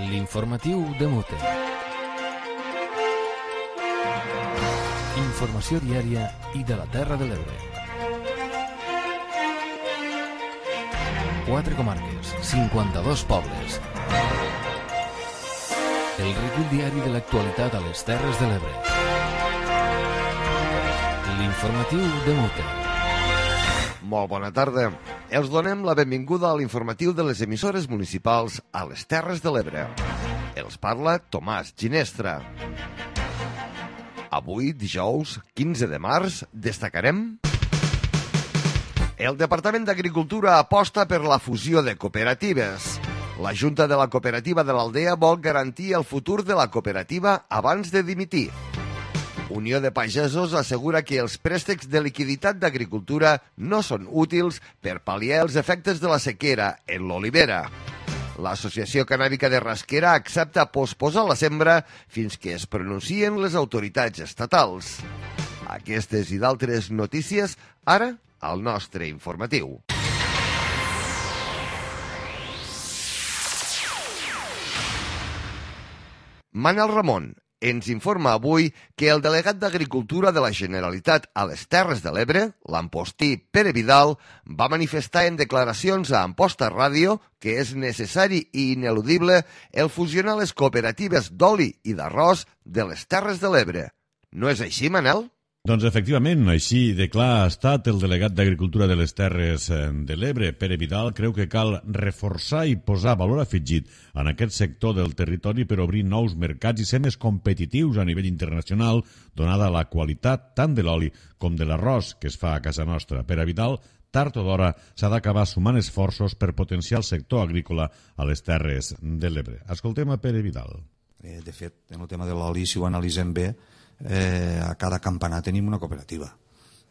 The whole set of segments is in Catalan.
L'informatiu de Mute. Informació diària i de la Terra de l'Ebre. 4 comarques, 52 pobles. El recull diari de l'actualitat a les Terres de l'Ebre. L'informatiu de Mute. Molt bona tarda. Els donem la benvinguda a l'informatiu de les emissores municipals a les Terres de l'Ebre. Els parla Tomàs Ginestra. Avui, dijous 15 de març, destacarem... El Departament d'Agricultura aposta per la fusió de cooperatives. La Junta de la Cooperativa de l'Aldea vol garantir el futur de la cooperativa abans de dimitir. Unió de Pagesos assegura que els préstecs de liquiditat d'agricultura no són útils per pal·liar els efectes de la sequera en l'olivera. L'Associació Cannàbica de Rasquera accepta posposar la sembra fins que es pronuncien les autoritats estatals. Aquestes i d'altres notícies, ara, al nostre informatiu. Manel Ramon ens informa avui que el delegat d'Agricultura de la Generalitat a les Terres de l'Ebre, l'Ampostí Pere Vidal, va manifestar en declaracions a Amposta Ràdio que és necessari i ineludible el fusionar les cooperatives d'oli i d'arròs de les Terres de l'Ebre. No és així, Manel? Doncs efectivament, així de clar ha estat el delegat d'Agricultura de les Terres de l'Ebre. Pere Vidal creu que cal reforçar i posar valor afegit en aquest sector del territori per obrir nous mercats i ser més competitius a nivell internacional, donada la qualitat tant de l'oli com de l'arròs que es fa a casa nostra. Pere Vidal, tard o d'hora, s'ha d'acabar sumant esforços per potenciar el sector agrícola a les Terres de l'Ebre. Escoltem a Pere Vidal. De fet, en el tema de l'oli, si ho analitzem bé, a cada campanar tenim una cooperativa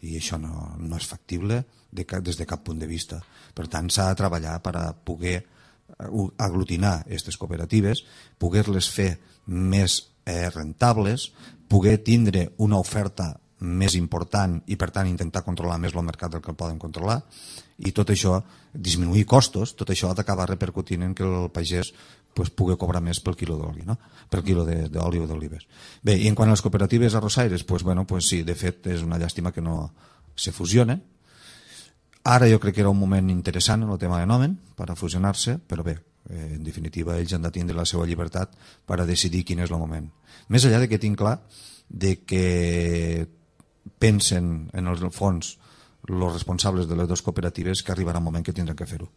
i això no és factible des de cap punt de vista. Per tant, s'ha de treballar per a poder aglutinar aquestes cooperatives, poder-les fer més rentables, poder tindre una oferta més important i, per tant, intentar controlar més el mercat del que el poden controlar, i tot això, disminuir costos, tot això ha d'acabar repercutint en que el pagès pugui cobrar més pel quilo d'oli, no? Per quilo d'oli o d'olives. Bé, i en quant a les cooperatives arrossaires, sí, de fet és una llàstima que no se fusionen. Ara jo crec que era un moment interessant en el tema de nomen per a fusionar-se, però bé, en definitiva ells han de tindre la seva llibertat per a decidir quin és el moment. Més enllà de que tinc clar de que pensen en el fons els responsables de les dues cooperatives que arribarà un moment que tindran que fer-ho.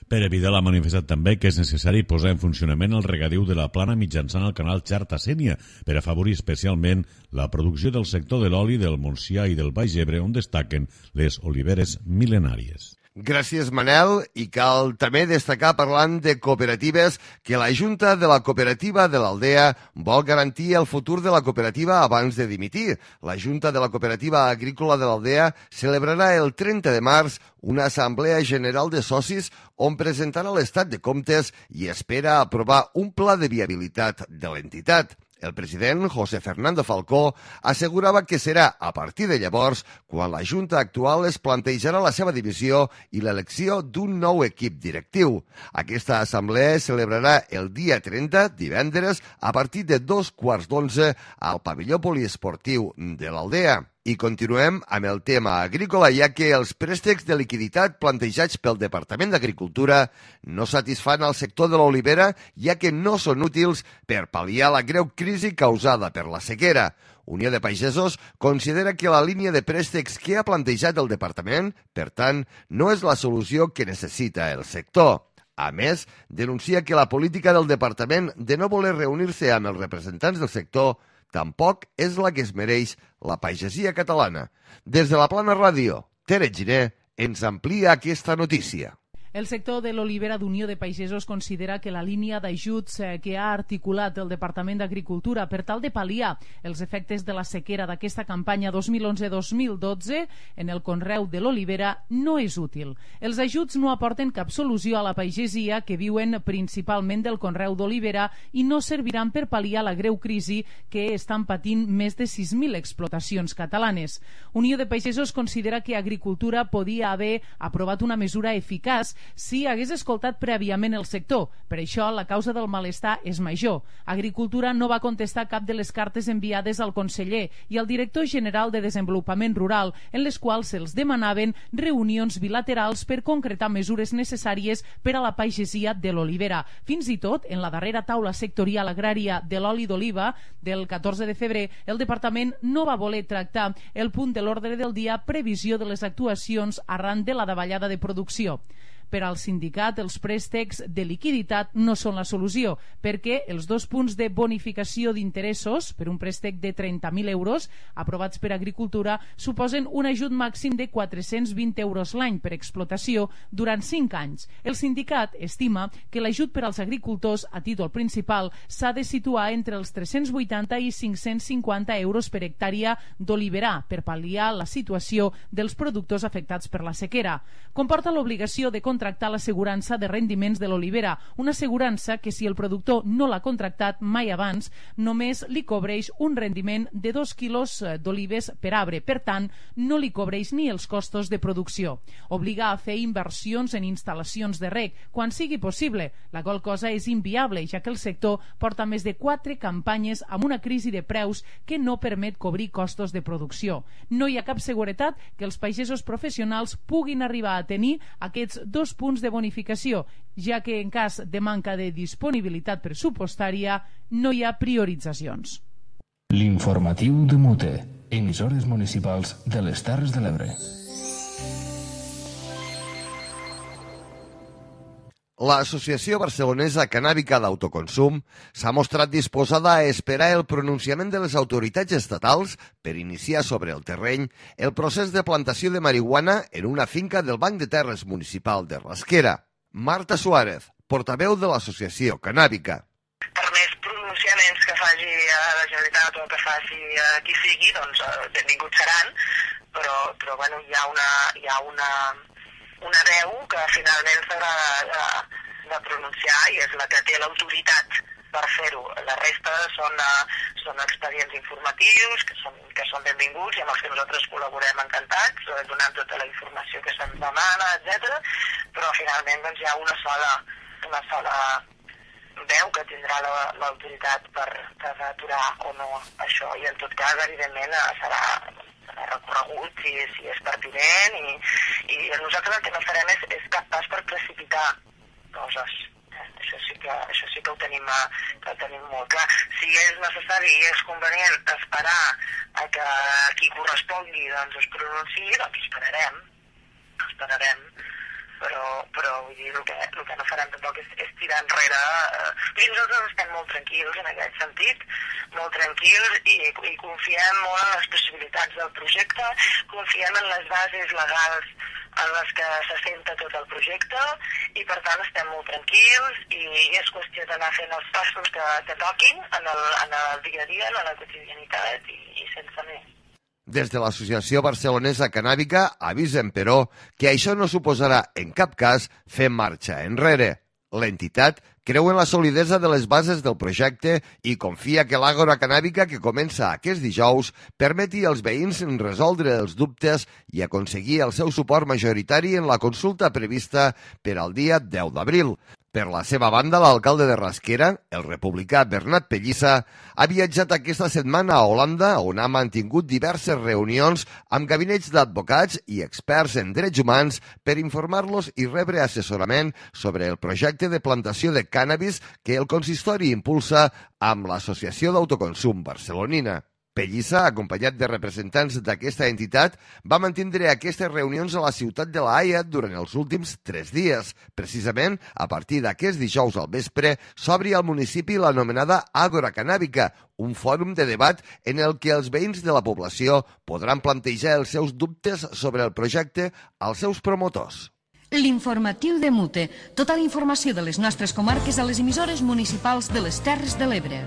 Pere Vidal ha manifestat també que és necessari posar en funcionament el regadiu de la plana mitjançant el canal Xarta-Sénia per afavorir especialment la producció del sector de l'oli del Montsià i del Baix Ebre, on destaquen les oliveres mil·lenàries. Gràcies, Manel. I cal també destacar, parlant de cooperatives, que la Junta de la Cooperativa de l'Aldea vol garantir el futur de la cooperativa abans de dimitir. La Junta de la Cooperativa Agrícola de l'Aldea celebrarà el 30 de març una assemblea general de socis on presentarà l'estat de comptes i espera aprovar un pla de viabilitat de l'entitat. El president, José Fernando Falcó, assegurava que serà a partir de llavors quan la Junta actual es plantejarà la seva divisió i l'elecció d'un nou equip directiu. Aquesta assemblea es celebrarà el dia 30, divendres, a partir de 2:15 al pavelló poliesportiu de l'Aldea. I continuem amb el tema agrícola, ja que els préstecs de liquiditat plantejats pel Departament d'Agricultura no satisfan el sector de l'olivera, ja que no són útils per pal·liar la greu crisi causada per la sequera. Unió de Pagesos considera que la línia de préstecs que ha plantejat el Departament, per tant, no és la solució que necessita el sector. A més, denuncia que la política del Departament de no voler reunir-se amb els representants del sector tampoc és la que es mereix la pagesia catalana. Des de la Plana Ràdio, Tere Giner ens amplia aquesta notícia. El sector de l'olivera d'Unió de Pagesos considera que la línia d'ajuts que ha articulat el Departament d'Agricultura per tal de pal·liar els efectes de la sequera d'aquesta campanya 2011-2012 en el conreu de l'olivera no és útil. Els ajuts no aporten cap solució a la pagesia que viuen principalment del conreu d'olivera i no serviran per pal·liar la greu crisi que estan patint més de 6.000 explotacions catalanes. Unió de Pagesos considera que Agricultura podia haver aprovat una mesura eficaç si hagués escoltat prèviament el sector. Per això, la causa del malestar és major. Agricultura no va contestar cap de les cartes enviades al conseller i al director general de Desenvolupament Rural, en les quals se'ls demanaven reunions bilaterals per concretar mesures necessàries per a la pagesia de l'olivera. Fins i tot, en la darrera taula sectorial agrària de l'oli d'oliva del 14 de febrer, el departament no va voler tractar el punt de l'ordre del dia previsió de les actuacions arran de la davallada de producció. Per al sindicat, els préstecs de liquiditat no són la solució, perquè els 2 punts de bonificació d'interessos per un préstec de 30.000 euros aprovats per Agricultura suposen un ajut màxim de 420 euros l'any per explotació durant 5 anys. El sindicat estima que l'ajut per als agricultors a títol principal s'ha de situar entre els 380 i 550 euros per hectàrea d'oliverar per pal·liar la situació dels productors afectats per la sequera. Comporta l'obligació de contractar l'assegurança de rendiments de l'olivera, una assegurança que si el productor no l'ha contractat mai abans, només li cobreix un rendiment de 2 quilos d'olives per arbre, per tant, no li cobreix ni els costos de producció. Obliga a fer inversions en instal·lacions de reg quan sigui possible, la qual cosa és inviable, ja que el sector porta més de 4 campanyes amb una crisi de preus que no permet cobrir costos de producció. No hi ha cap seguretat que els pagesos professionals puguin arribar a tenir aquests 2 punts de bonificació, ja que en cas de manca de disponibilitat pressupostària no hi ha prioritzacions. L'informatiu de Mute, emissores municipals de les Terres de l'Ebre. L'Associació Barcelonesa Cannàbica d'Autoconsum s'ha mostrat disposada a esperar el pronunciament de les autoritats estatals per iniciar sobre el terreny el procés de plantació de marihuana en una finca del Banc de Terres Municipal de Rasquera. Marta Suárez, portaveu de l'Associació Cannàbica. Per més pronunciaments que faci a la Generalitat o que faci a qui sigui, doncs benvinguts seran, però bueno, hi ha una veu que finalment s'haurà de pronunciar i és la que té l'autoritat per fer-ho. La resta són expedients informatius que són benvinguts i amb els que nosaltres col·laborem encantats, donant tota la informació que se'ns demana, etc. Però finalment doncs, hi ha una sola veu que tindrà l'autoritat per aturar o no això, i en tot cas, evidentment, serà recorregut si és pertinent i nosaltres el que no farem és cap pas per precipitar coses. Això sí que ho tenim molt clar. Si és necessari i és convenient esperar a que qui correspongui doncs es pronunciï, doncs esperarem. Però vull dir, el que no farem tampoc és tirar enrere. Nosaltres estem molt tranquils en aquest sentit, molt tranquils i confiem molt en les possibilitats del projecte, confiem en les bases legals en les que s'assenta tot el projecte i per tant estem molt tranquils i és qüestió d'anar fent els passos que toquin en el dia a dia, en la quotidianitat i sense més. Des de l'Associació Barcelonesa Cannàbica avisen, però, que això no suposarà en cap cas fer marxa enrere. L'entitat creu en la solidesa de les bases del projecte i confia que l'àgora cannàbica que comença aquest dijous permeti als veïns resoldre els dubtes i aconseguir el seu suport majoritari en la consulta prevista per al dia 10 d'abril. Per la seva banda, l'alcalde de Rasquera, el republicà Bernat Pellissa, ha viatjat aquesta setmana a Holanda, on ha mantingut diverses reunions amb gabinets d'advocats i experts en drets humans per informar-los i rebre assessorament sobre el projecte de plantació de cànnabis que el consistori impulsa amb l'Associació d'Autoconsum Barcelonina. Pellissa, acompanyat de representants d'aquesta entitat, va mantindre aquestes reunions a la ciutat de La Haia durant els últims 3 dies. Precisament, a partir d'aquest dijous al vespre, s'obri al municipi l'anomenada Àgora Cannàbica, un fòrum de debat en el que els veïns de la població podran plantejar els seus dubtes sobre el projecte als seus promotors. L'informatiu de Mute. Tota la informació de les nostres comarques a les emissores municipals de les Terres de l'Ebre.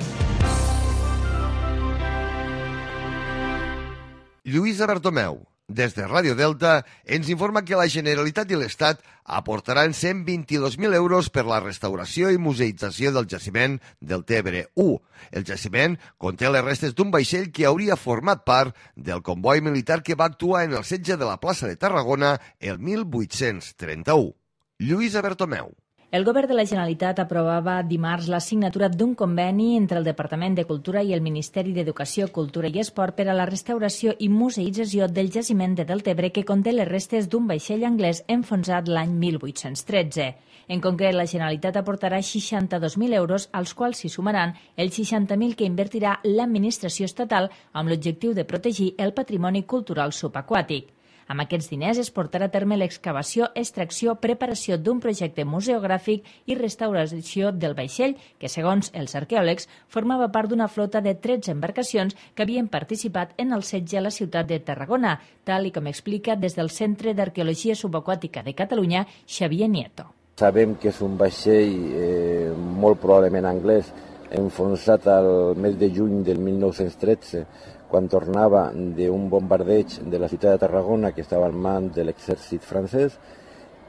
Lluïsa Bertomeu, des de Ràdio Delta, ens informa que la Generalitat i l'Estat aportaran 122.000 euros per la restauració i museïtzació del jaciment del Tebre 1. El jaciment conté les restes d'un vaixell que hauria format part del comboi militar que va actuar en el setge de la plaça de Tarragona el 1831. Lluïsa Bertomeu. El Govern de la Generalitat aprovava dimarts la signatura d'un conveni entre el Departament de Cultura i el Ministeri d'Educació, Cultura i Esport per a la restauració i museïtzació del jaciment de Deltebre que conté les restes d'un vaixell anglès enfonsat l'any 1813. En concret, la Generalitat aportarà 62.000 euros, als quals s'hi sumaran els 60.000 que invertirà l'administració estatal amb l'objectiu de protegir el patrimoni cultural subaquàtic. Amb aquests diners es portarà a terme l'excavació, extracció, preparació d'un projecte museogràfic i restauració del vaixell, que, segons els arqueòlegs, formava part d'una flota de 13 embarcacions que havien participat en el setge a la ciutat de Tarragona, tal i com explica des del Centre d'Arqueologia Subaquàtica de Catalunya, Xavier Nieto. Sabem que és un vaixell molt probablement anglès, enfonsat al mes de juny del 1913, quan tornava d'un bombardeig de la ciutat de Tarragona que estava en mans de l'exèrcit francès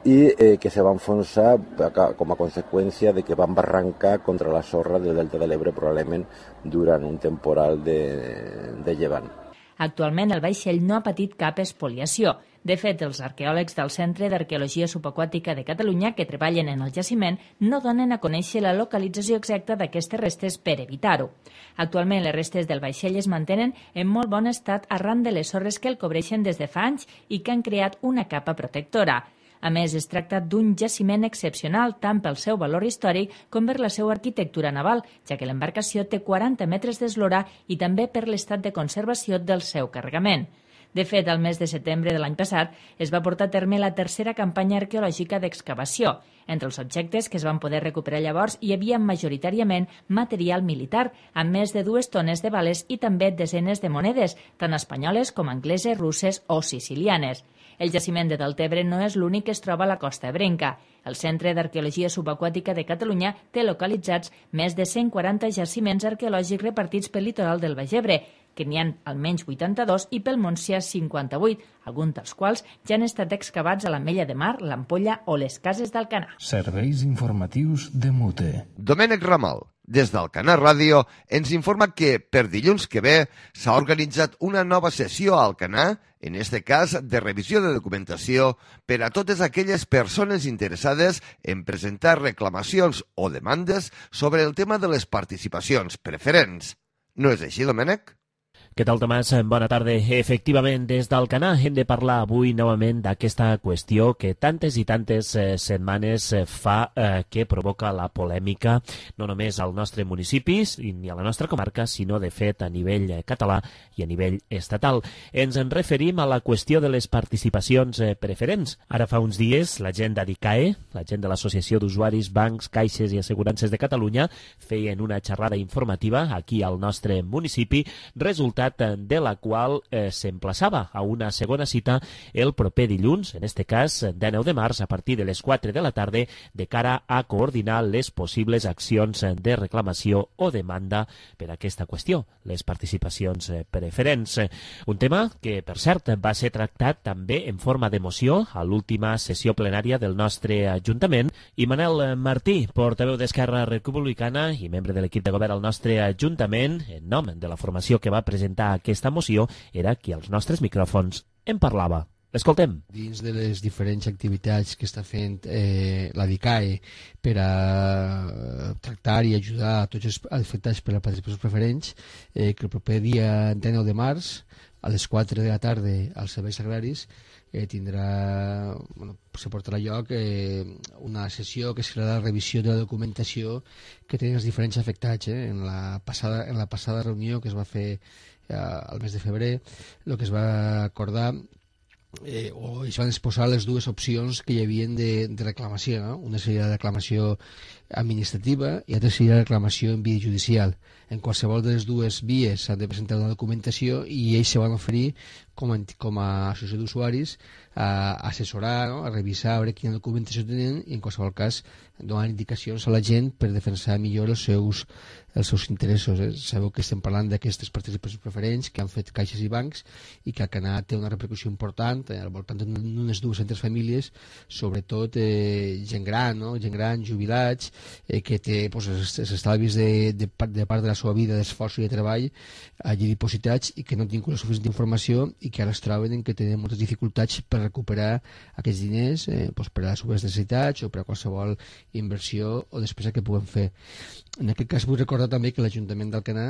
i que se va enfonsar com a conseqüència de que van barrancar contra la sorra del Delta de l'Ebre probablement durant un temporal de llevant. Actualment el vaixell no ha patit cap espoliació. De fet, els arqueòlegs del Centre d'Arqueologia Subaquàtica de Catalunya que treballen en el jaciment no donen a conèixer la localització exacta d'aquestes restes per evitar-ho. Actualment les restes del vaixell es mantenen en molt bon estat arran de les sorres que el cobreixen des de fa anys i que han creat una capa protectora. A més, es tracta d'un jaciment excepcional tant pel seu valor històric com per la seva arquitectura naval, ja que l'embarcació té 40 metres d'eslora i també per l'estat de conservació del seu carregament. De fet, al mes de setembre de l'any passat es va portar a terme la tercera campanya arqueològica d'excavació. Entre els objectes que es van poder recuperar llavors hi havia majoritàriament material militar, amb més de 2 tones de bales i també desenes de monedes, tant espanyoles com angleses, russes o sicilianes. El jaciment de Deltebre no és l'únic que es troba a la costa ebrenca. El Centre d'Arqueologia Subaquàtica de Catalunya té localitzats més de 140 jaciments arqueològics repartits pel litoral del Baix Ebre, que n'hi ha almenys 82 i pel Montsià 58, alguns dels quals ja han estat excavats a l'Ametlla de Mar, l'Ampolla o les Cases d'Alcanar. Serveis informatius de Mute. Domènec Ramal, des d'Alcanar Ràdio, ens informa que per dilluns que ve s'ha organitzat una nova sessió a Alcanar, en este cas de revisió de documentació per a totes aquelles persones interessades en presentar reclamacions o demandes sobre el tema de les participacions preferents. No és així, Domènec? Què tal, Tomàs? Bona tarda. Efectivament, des d'Alcanar hem de parlar avui novament d'aquesta qüestió que tantes i tantes setmanes fa que provoca la polèmica no només al nostre municipi ni a la nostra comarca, sinó de fet a nivell català i a nivell estatal. Ens en referim a la qüestió de les participacions preferents. Ara fa uns dies la gent d'ADICAE, la gent de l'Associació d'Usuaris, Bancs, Caixes i Assegurances de Catalunya, feien una xerrada informativa aquí al nostre municipi, resultat de la qual s'emplaçava a una segona cita el proper dilluns, en este cas 19 de març, a partir de les 4 de la tarda, de cara a coordinar les possibles accions de reclamació o demanda per a aquesta qüestió, les participacions preferents. Un tema que, per cert, va ser tractat també en forma de moció a l'última sessió plenària del nostre Ajuntament, i Manel Martí, portaveu d'Esquerra Republicana i membre de l'equip de govern al nostre Ajuntament, en nom de la formació que va presentar aquesta moció, era qui als nostres micròfons en parlava. L'escoltem. Dins de les diferents activitats que està fent la DICAE per a tractar i ajudar a tots els afectats per les participacions preferents, que el proper dia 19 de març, a les 4 de la tarda, als serveis agraris, se portarà a lloc una sessió que serà la revisió de la documentació que tenen els diferents afectats. En la passada reunió que es va fer al mes de febrer, el que es va acordar o es van exposar les dues opcions que hi havia de reclamació, no? Una seria la reclamació administrativa i l'altra seria la reclamació en via judicial. En qualsevol de les dues vies s'ha de presentar una documentació i ells se van oferir com a associació d'usuaris a assessorar, no? A revisar, a veure quina documentació tenen i en qualsevol cas donar indicacions a la gent per defensar millor els seus interessos. Sabeu que estem parlant d'aquestes participacions preferents que han fet caixes i bancs i que Alcanar té una repercussió important al voltant d'unes 200 famílies, sobretot gent gran, no? Gent gran, jubilats, que té els estalvis de part de la seva vida, d'esforç i de treball allí dipositats i que no tinguin la suficient informació i que ara es troben que tenen moltes dificultats per recuperar aquests diners per a les seves necessitats o per a qualsevol inversió o despesa que puguen fer. En aquest cas vull recordar també que l'Ajuntament d'Alcanar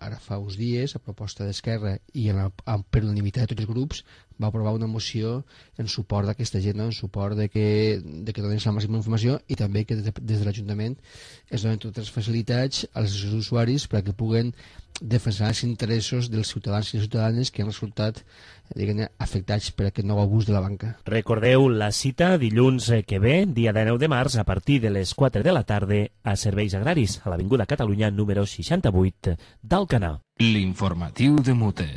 ara fa uns dies, a proposta d'Esquerra i per unanimitat de tots els grups, va aprovar una moció en suport d'aquesta gent, en suport de que donin la màxima informació i també que des de l'Ajuntament es donen totes les facilitats als usuaris perquè puguen defensar els interessos dels ciutadans i les ciutadanes que han resultat afectats per aquest nou abús de la banca. Recordeu la cita dilluns que ve, dia 9 de març, a partir de les 4 de la tarda a Serveis Agraris, a l'Avinguda Catalunya número 68 d'Alcanar. L'informatiu de Mute.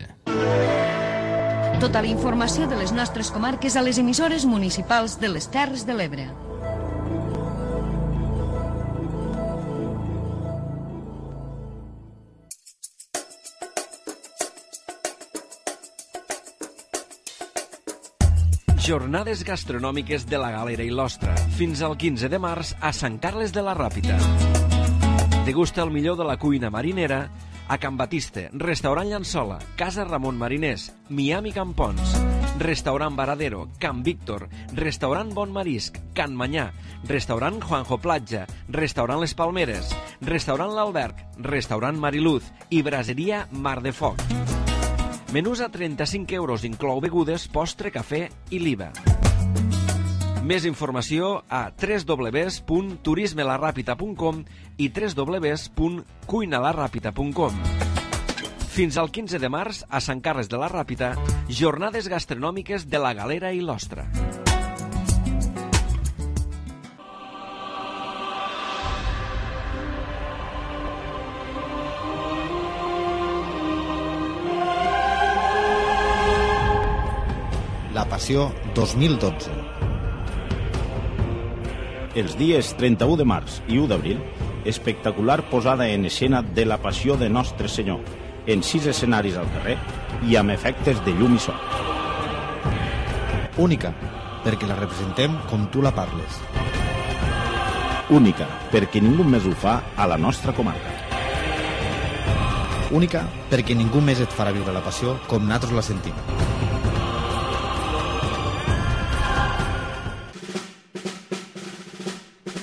Tota la informació de les nostres comarques a les emissores municipals de les Terres de l'Ebre. Jornades gastronòmiques de la Galera i l'Ostra, fins al 15 de març a Sant Carles de la Ràpita. Degusta el millor de la cuina marinera a Can Batiste, Restaurant Llançola, Casa Ramon Mariners, Miami Campons, Restaurant Varadero, Can Víctor, Restaurant Bon Marisc, Can Manyà, Restaurant Juanjo Platja, Restaurant Les Palmeres, Restaurant L'Alberg, Restaurant Mariluz i Braseria Mar de Foc. Menús a 35 euros, inclou begudes, postre, cafè i l'IVA. Més informació a www.turismelarrapita.com i www.cuinalarrapita.com. Fins al 15 de març, a Sant Carles de la Ràpita, jornades gastronòmiques de la Galera i l'Ostra. La Passió 2012. Els dies 31 de març i 1 d'abril, espectacular posada en escena de la Passió de Nostre Senyor, en 6 escenaris al carrer i amb efectes de llum i so. Única, perquè la representem com tu la parles. Única, perquè ningú més ho fa a la nostra comarca. Única, perquè ningú més et farà viure la passió com nosaltres la sentim.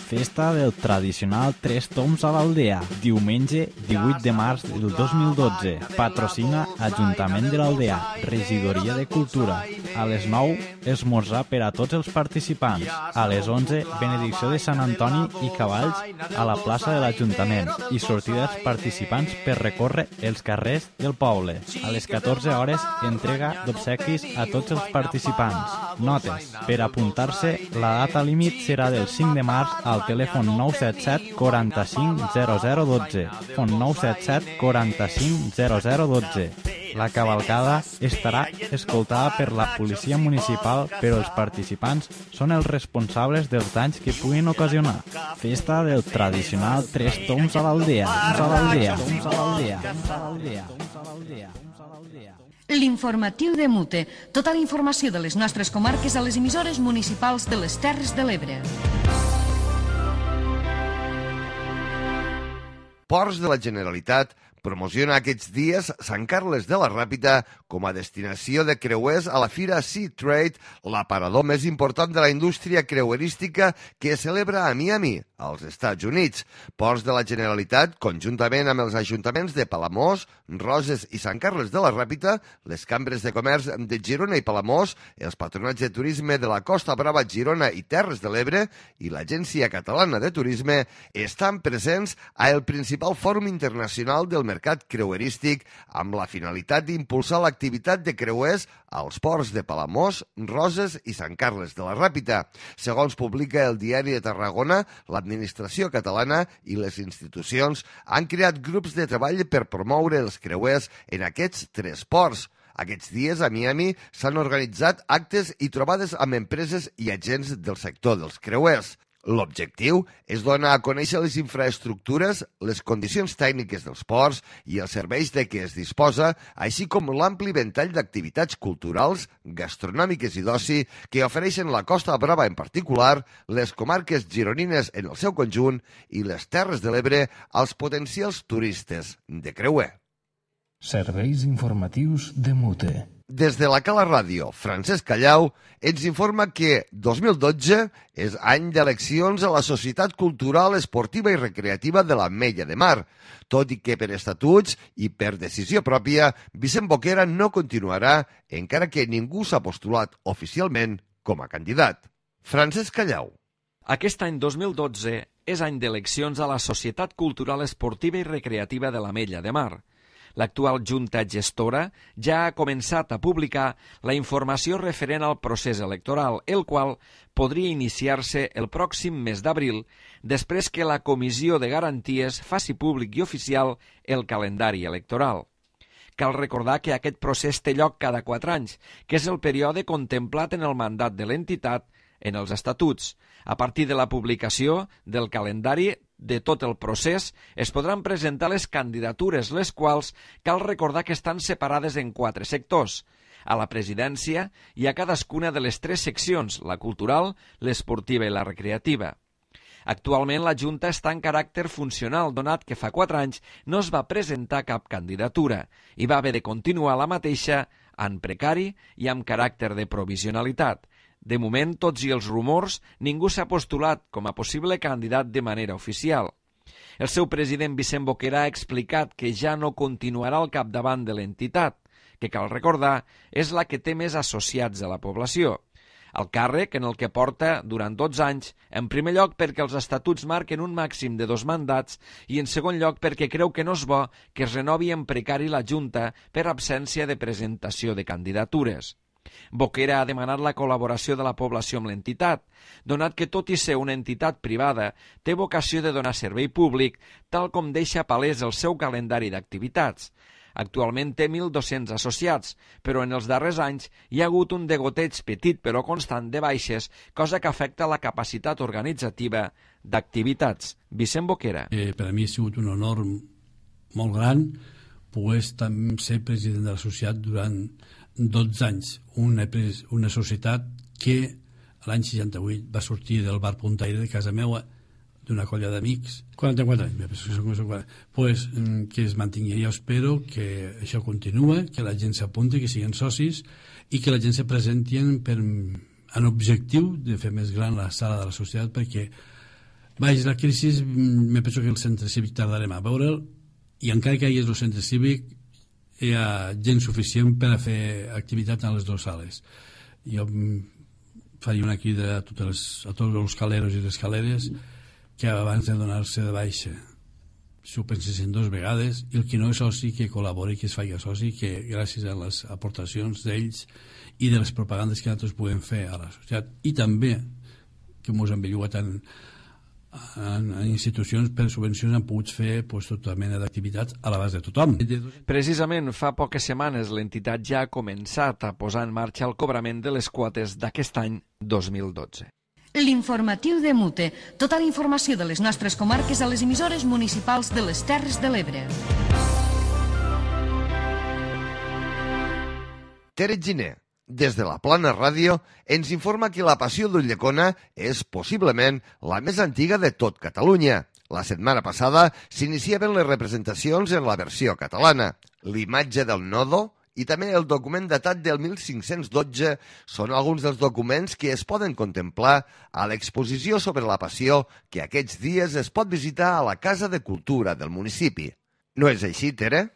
Festa del tradicional Tres Toms a l'Aldea, diumenge 18 de març del 2012. Patrocina Ajuntament de l'Aldea, Regidoria de Cultura. A les 9, esmorzar per a tots els participants. A les 11, benedicció de Sant Antoni i cavalls a la plaça de l'Ajuntament i sortida dels participants per recórrer els carrers del poble. A les 14 hores, entrega d'obsequis a tots els participants. Notes. Per apuntar-se, la data límit serà del 5 de març al telèfon 977 45 0012. Telèfon 977 45 0012. La cavalcada estarà escoltada per la policia municipal, però els participants són els responsables dels danys que puguin ocasionar. Festa del tradicional Tres Toms a l'Aldea. L'informatiu de Mute. Tota la informació de les nostres comarques a les emissores municipals de les Terres de l'Ebre. Ports de la Generalitat promociona aquests dies Sant Carles de la Ràpita com a destinació de creuers a la Fira Sea Trade, l'aparador més important de la indústria creuerística que es celebra a Miami, als Estats Units. Ports de la Generalitat, conjuntament amb els ajuntaments de Palamós, Roses i Sant Carles de la Ràpita, les cambres de comerç de Girona i Palamós, els patronats de turisme de la Costa Brava, Girona i Terres de l'Ebre i l'Agència Catalana de Turisme estan presents a el principal fòrum internacional del mercat creuerístic amb la finalitat d'impulsar l'activitat de creuers als ports de Palamós, Roses i Sant Carles de la Ràpita. Segons publica el Diari de Tarragona, l'administració catalana i les institucions han creat grups de treball per promoure els creuers en aquests 3 ports. Aquests dies a Miami s'han organitzat actes i trobades amb empreses i agents del sector dels creuers. L'objectiu és donar a conèixer les infraestructures, les condicions tècniques dels ports i els serveis de què es disposa, així com l'ampli ventall d'activitats culturals, gastronòmiques i d'oci que ofereixen la Costa Brava en particular, les comarques gironines en el seu conjunt i les Terres de l'Ebre als potencials turistes de creuer. Serveis informatius de Mute. Des de la Cala Ràdio, Francesc Callau ens informa que 2012 és any d'eleccions a la Societat Cultural, Esportiva i Recreativa de l'Ametlla de Mar, tot i que per estatuts i per decisió pròpia, Vicent Boquera no continuarà, encara que ningú s'ha postulat oficialment com a candidat. Francesc Callau. Aquest any 2012 és any d'eleccions a la Societat Cultural, Esportiva i Recreativa de l'Ametlla de Mar. L'actual Junta Gestora ja ha començat a publicar la informació referent al procés electoral, el qual podria iniciar-se el pròxim mes d'abril, després que la Comissió de Garanties faci públic i oficial el calendari electoral. Cal recordar que aquest procés té lloc cada 4 anys, que és el període contemplat en el mandat de l'entitat en els estatuts. A partir de la publicació del calendari de tot el procés, es podran presentar les candidatures, les quals cal recordar que estan separades en 4 sectors. A la presidència i a cadascuna de les 3 seccions, la cultural, l'esportiva i la recreativa. Actualment la Junta està en caràcter funcional, donat que fa 4 anys no es va presentar cap candidatura i va haver de continuar la mateixa en precari i amb caràcter de provisionalitat. De moment, tots i els rumors, ningú s'ha postulat com a possible candidat de manera oficial. El seu president Vicent Boquera ha explicat que ja no continuarà al capdavant de l'entitat, que cal recordar és la que té més associats de la població. El càrrec en el que porta durant 12 anys, en primer lloc perquè els estatuts marquen un màxim de 2 mandats i en segon lloc perquè creu que no és bo que es renovi en precari la Junta per absència de presentació de candidatures. Boquera ha demanat la col·laboració de la població amb l'entitat, donat que tot i ser una entitat privada, té vocació de donar servei públic, tal com deixa palès el seu calendari d'activitats. Actualment té 1.200 associats, però en els darrers anys hi ha hagut un degoteig petit però constant de baixes, cosa que afecta la capacitat organitzativa d'activitats. Vicent Boquera. Per a mi ha sigut un honor molt gran poder ser president de l'associat durant 12 anys, una societat que l'any 68 va sortir del bar Puntaire de casa meva d'una colla d'amics, 44 anys, pues, que es mantingui. Jo espero que això continue, que la gent s'apunti, que siguin socis i que la gent se presenti en objectiu de fer més gran la sala de la societat, perquè la crisi, me penso que el centre cívic tardarem a veure'l, i encara que hi hagi el centre cívic hi ha gent suficient per a fer activitat en les 2 sales. Jo faria una crida a tots els caleros i les caleres que abans de donar-se de baixa s'ho pensessin 2 vegades, i el que no és soci que col·labori, que es faci soci, que gràcies a les aportacions d'ells i de les propagandes que nosaltres podem fer a la societat, i també que ens han bellugat en institucions per subvencions han pogut fer tota mena d'activitats a l'abast de tothom. Precisament fa poques setmanes l'entitat ja ha començat a posar en marxa el cobrament de les quotes d'aquest any 2012. L'informatiu de Mute. Tota la informació de les nostres comarques a les emissores municipals de les Terres de l'Ebre. Tere Giner, des de la Plana Ràdio, ens informa que la Passió d'Ulldecona és possiblement la més antiga de tot Catalunya. La setmana passada s'iniciaven les representacions en la versió catalana. L'imatge del nodo i també el document datat del 1512 són alguns dels documents que es poden contemplar a l'exposició sobre la Passió que aquests dies es pot visitar a la Casa de Cultura del municipi. No és així, Tere?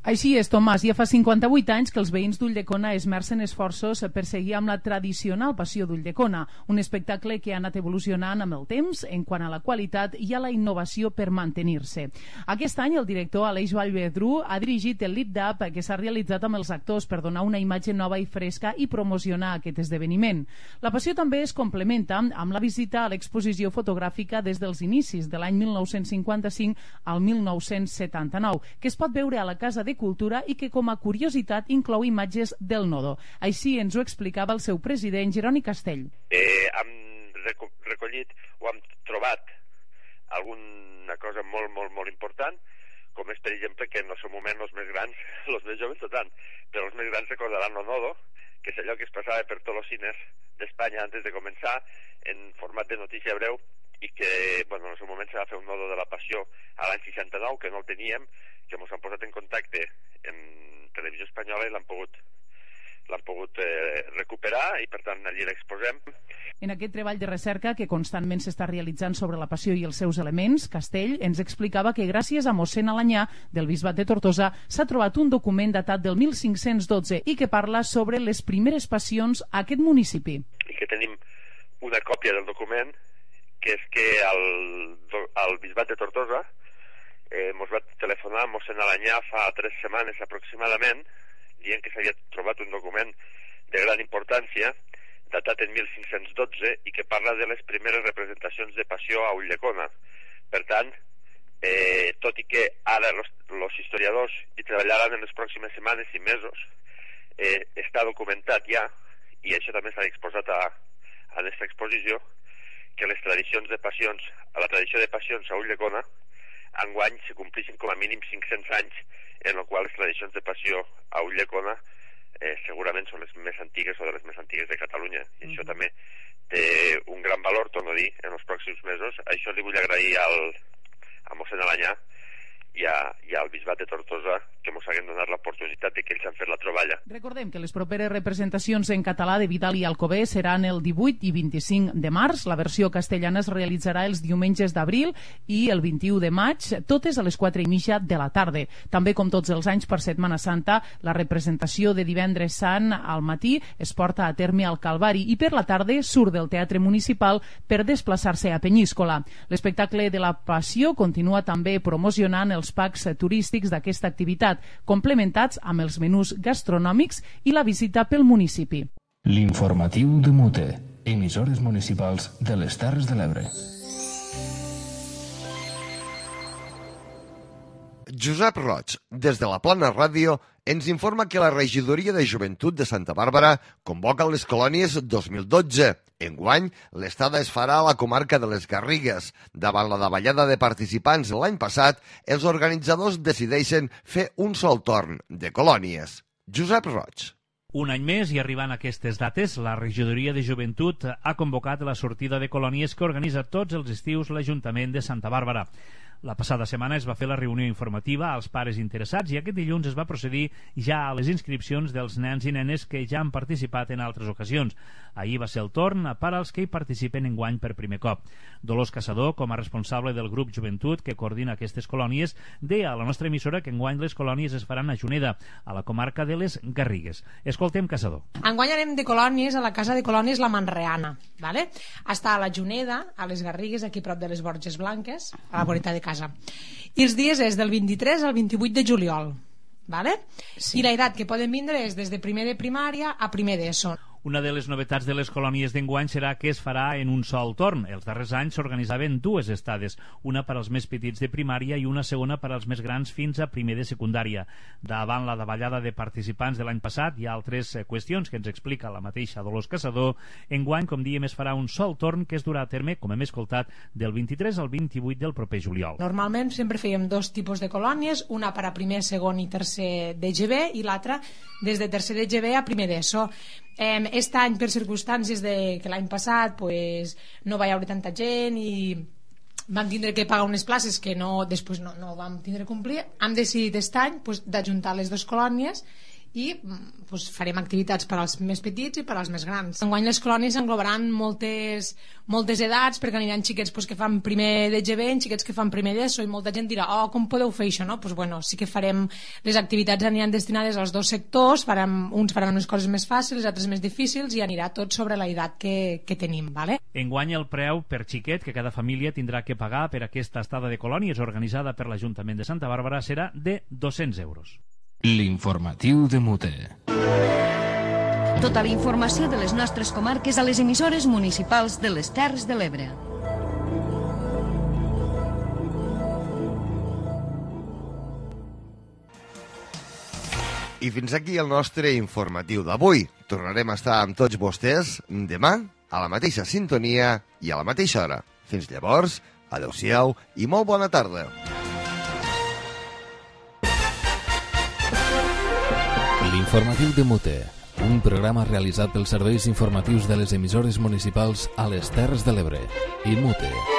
Així és, Tomàs. Ja fa 58 anys que els veïns d'Ulldecona esmercen esforços per seguir amb la tradicional Passió d'Ulldecona, un espectacle que ha anat evolucionant amb el temps en quant a la qualitat i a la innovació per mantenir-se. Aquest any el director Aleix Vallvedrú ha dirigit el lip-dub que s'ha realitzat amb els actors per donar una imatge nova i fresca i promocionar aquest esdeveniment. La Passió també es complementa amb la visita a l'exposició fotogràfica des dels inicis de l'any 1955 al 1979, que es pot veure a la Casa de Cultura i que com a curiositat inclou imatges del nodo. Així ens ho explicava el seu president, Jeroni Castell. Hem recollit escollit o hem trobat alguna cosa molt, molt, molt important, com és, per exemple, que en el seu moment els més grans, els més joves no tant, però els més grans recordaran lo nodo, que és allò que es passava per tots els cines d'Espanya antes de començar, en format de notícia breu, i que, bueno, en el seu moment se va fer un nodo de la Passió a l'any 69, que no el teníem, que ens han posat en contacte en Televisió Espanyola i l'han pogut recuperar i per tant allí l'exposem. En aquest treball de recerca que constantment s'està realitzant sobre la Passió i els seus elements, Castell ens explicava que gràcies a mossèn Alanyà del Bisbat de Tortosa s'ha trobat un document datat del 1512 i que parla sobre les primeres passions a aquest municipi. I que tenim una còpia del document, que és que al Bisbat de Tortosa ens va telefonar mossèn Alanyà fa 3 setmanes aproximadament, dient que s'havia trobat un document de gran importància, datat en 1512, i que parla de les primeres representacions de Passió a Ulldecona. Per tant, tot i que ara els historiadors hi treballaran en les pròximes setmanes i mesos, està documentat ja, i això també s'ha exposat a aquesta exposició, que les tradicions de passions, a la tradició de passions a Ulldecona, enguany se complixen com a mínim 500 anys, en el qual les tradicions de passió a Ulldecona segurament són les més antigues o de les més antigues de Catalunya. I això també té un gran valor, torno a dir, en els pròxims mesos. Això li vull agrair a mossèn Alanyà i al Bisbat de Tortosa que ens haguem donat l'oportunitat de que ells han fet la troballa. Recordem que les properes representacions en català de Vidal i Alcover seran el 18 i 25 de març. La versió castellana es realitzarà els diumenges d'abril i el 21 de maig, totes a les 4:30 de la tarda. També, com tots els anys per Setmana Santa, la representació de Divendres Sant al matí es porta a terme al Calvari i per la tarda surt del Teatre Municipal per desplaçar-se a Penyíscola. L'espectacle de la Passió continua també promocionant els packs turístics d'aquesta activitat, complementats amb els menús gastronòmics i la visita pel municipi. L'informatiu de Mute, emissores municipals de les Terres de l'Ebre. Josep Roig, des de la Plana Ràdio, ens informa que la Regidoria de Joventut de Santa Bàrbara convoca les colònies 2012. Enguany, l'estada es farà a la comarca de les Garrigues. Davant la davallada de participants l'any passat, els organitzadors decideixen fer un sol torn de colònies. Josep Roig. Un any més i arribant a aquestes dates, la Regidoria de Joventut ha convocat la sortida de colònies que organitza tots els estius l'Ajuntament de Santa Bàrbara. La passada setmana es va fer la reunió informativa als pares interessats i aquest dilluns es va procedir ja a les inscripcions dels nens i nenes que ja han participat en altres ocasions. Ahir va ser el torn per als que hi participen enguany per primer cop. Dolors Caçador, com a responsable del grup Joventut que coordina aquestes colònies, deia a la nostra emissora que enguany les colònies es faran a Juneda, a la comarca de les Garrigues. Escoltem Caçador. Enguany anem de colònies a la Casa de Colònies La Manreana, ¿vale? Està a la Juneda, a les Garrigues, aquí prop de les Borges Blanques, a la voreta de casa. I els dies és del 23 al 28 de juliol, ¿vale? Sí. I la edat que poden vindre és des de primer de primària a primer d'ESO. Una de les novetats de les colònies d'enguany serà que es farà en un sol torn. Els darrers anys s'organitzaven dues estades, una per als més petits de primària i una segona per als més grans fins a primer de secundària. Davant la davallada de participants de l'any passat hi ha altres qüestions que ens explica la mateixa Dolors Caçador. Enguany, com diem, es farà un sol torn que es durà a terme, com hem escoltat, del 23 al 28 del proper juliol. Normalment sempre fèiem dos tipus de colònies, una per a primer, segon i tercer d'EGB i l'altra des de tercer d'EGB a primer d'ESO. Aquest any, per circumstàncies de que l'any passat pues, no va haver tanta gent i vam tindre que pagar unes places que després no vam tindre que complir, hem decidit aquest any pues, d'ajuntar les dues colònies i pues, farem activitats per als més petits i per als més grans. Enguany les colònies englobaran moltes edats, perquè aniran xiquets pues, que fan primer d'EGB, xiquets que fan primer d'ESO, i molta gent dirà, com podeu fer això? No? Pues, bueno, sí que farem, les activitats aniran destinades als dos sectors, uns faran unes coses més fàcils, altres més difícils, i anirà tot sobre la edat que tenim. ¿Vale? Enguany el preu per xiquet que cada família tindrà que pagar per aquesta estada de colònies organitzada per l'Ajuntament de Santa Bàrbara serà de 200 euros. L'informatiu de Mute. Tota la informació de les nostres comarques a les emissores municipals de les Terres de l'Ebre. I fins aquí el nostre informatiu d'avui. Tornarem a estar amb tots vostès demà a la mateixa sintonia i a la mateixa hora. Fins llavors, adeu-siau i molt bona tarda. L'informatiu de Mute, un programa realitzat pels serveis informatius de les emissores municipals a les Terres de l'Ebre i Mute.